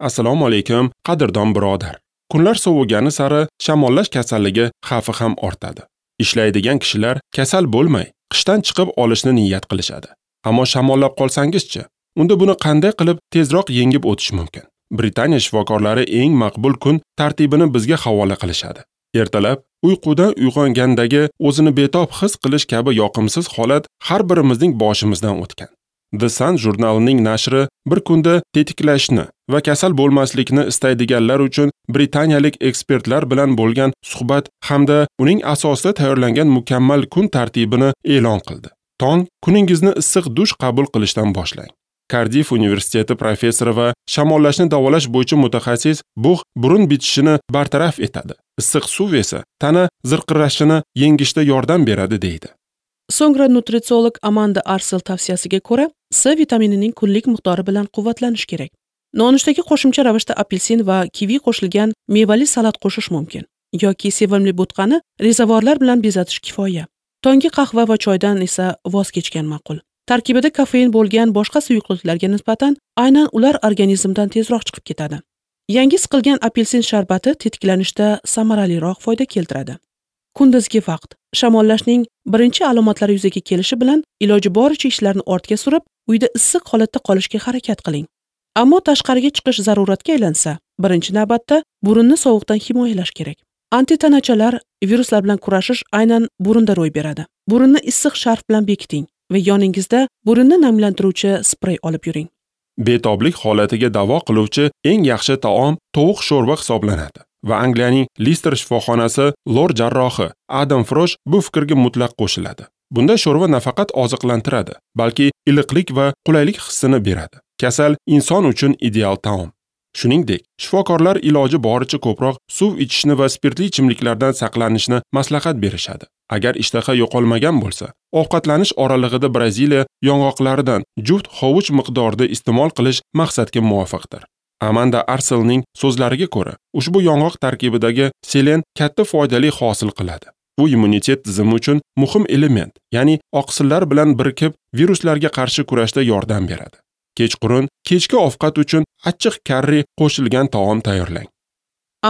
Assalomu alaykum, qadrdon birodar. Kunlar sovugani sari shamollash kasalligi xavfi ham ortadi. Ishlaydigan kishilar kasal bo'lmay, qishdan chiqib olishni niyat qilishadi. Ammo shamollab qolsangizchi, unda buni qanday qilib tezroq yengib o'tish mumkin? Britaniya shifokorlari eng maqbul kun tartibini bizga havola qilishadi. Ertalab uyqudan uyg'ongandagi o'zini betob his qilish kabi yoqimsiz holat har birimizning boshimizdan o'tgan. The Sun jurnalining nashri bir kunda tetiklashni va kasal bo'lmaslikni istaydiganlar uchun britaniyalik ekspertlar bilan bo'lgan suhbat hamda uning asosida tayyorlangan mukammal kun tartibini e'lon qildi. Tong kuningizni issiq dush qabul qilishdan boshlang. Cardiff universiteti professori va shamollashni davolash bo'yicha mutaxassis bug' burun bitishini bartaraf etadi. Issiq suv esa tana zirqirashini yengishda yordam beradi deydi. So'ngra nutritsiolog Amanda Arsel tavsiyasiga ko'ra, C vitaminining kunlik miqdori bilan quvvatlanish kerak. Nonushtaga qo'shimcha ravishda apelsin va kivi qo'shilgan mevali salat qo'shish mumkin yoki sevimli bo'tqani rezavorlar bilan bezatish kifoya. Tonggi qahva va choydan esa voz kechgan ma'qul. Tarkibida kofein bo'lgan boshqa suyuqliklarga nisbatan aynan ular organizmdan tezroq chiqib ketadi. Yangi siqilgan apelsin sharbati tetiklanishda samaraliroq foyda keltiradi. Kunduzgi vaqt shamollashning birinchi alomatlari yuzaga kelishi bilan iloji boricha ishlarni ortga surib, uyda issiq holatda qolishga harakat qiling. Ammo tashqariga chiqish zaruratga aylansa, birinchi navbatda burunni sovuqdan himoyalash kerak. Antitanachalar viruslar bilan kurashish aynan burunda ro'y beradi. Burunni issiq sharf bilan bekiting va yoningizda burunni namlantiruvchi sprey olib yuring. Betoblik holatiga davo qiluvchi eng yaxshi taom tovuq sho'rva hisoblanadi va Angliyaning Lister shifoxonasi lor jarrohi Adam Frosh bu fikrga mutlaq qo'shiladi. Bunda sho'rva nafaqat oziqlantiradi, balki iliqlik va qulaylik hissini beradi. Kasal inson uchun ideal taom. Shuningdek, shifokorlar iloji boricha ko'proq suv ichishni va spirtli ichimliklardan saqlanishni maslahat berishadi. Agar ishtaha yo'qolmagan bo'lsa, ovqatlanish oralig'ida Braziliya yong'oqlaridan juft hovuch miqdorida iste'mol qilish maqsadga muvofiqdir. Amanda Arselning so'zlariga ko'ra, ushbu yong'oq tarkibidagi selen katta foydali hosil qiladi. U immunitet tizimi uchun muhim element, ya'ni oqsillar bilan birikib viruslarga qarshi kurashda yordam beradi. Kechqurun kechki ovqat uchun achchiq karri qo'shilgan taom tayyorlang.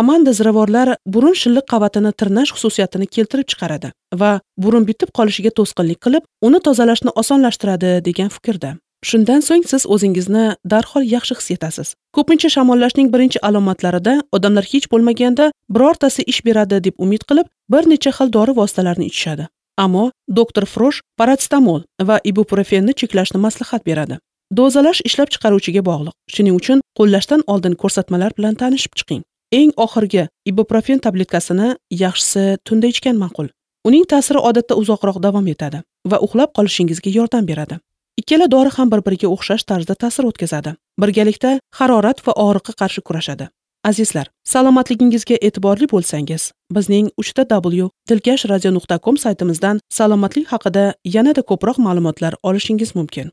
Amanda ziravorlar burun shilliq qavatini tirnash xususiyatini keltirib chiqaradi va burun bitib qolishiga to'sqinlik qilib, uni tozalashni osonlashtiradi degan fikrda. Shundan so'ng siz o'zingizni darhol yaxshi his etasiz. Ko'pincha shamollashning birinchi alomatlarida odamlar hech bo'lmaganda birortasi ish beradi deb umid qilib, bir necha xil dori vositalarini ichishadi. Ammo doktor Frosh parasetamol va ibuprofenni cheklashni maslahat beradi. Dozalash ishlab chiqaruvchiga bog'liq. Shuning uchun qo'llashdan oldin ko'rsatmalar bilan tanishib chiqing. Eng oxirgi ibuprofen tabletkasini yaxshisi tunda ichgan ma'qul. Uning ta'siri odatda uzoqroq davom etadi va uxlab qolishingizga yordam beradi. Ikkala dori ham bir-biriga o'xshash tarzda ta'sir o'tkazadi. Birgalikda harorat va og'riqqa qarshi kurashadi. Azizlar, salomatligingizga e'tiborli bo'lsangiz, bizning 3w.dilkashradio.com saytimizdan salomatlik haqida yanada ko'proq ma'lumotlar olishingiz mumkin.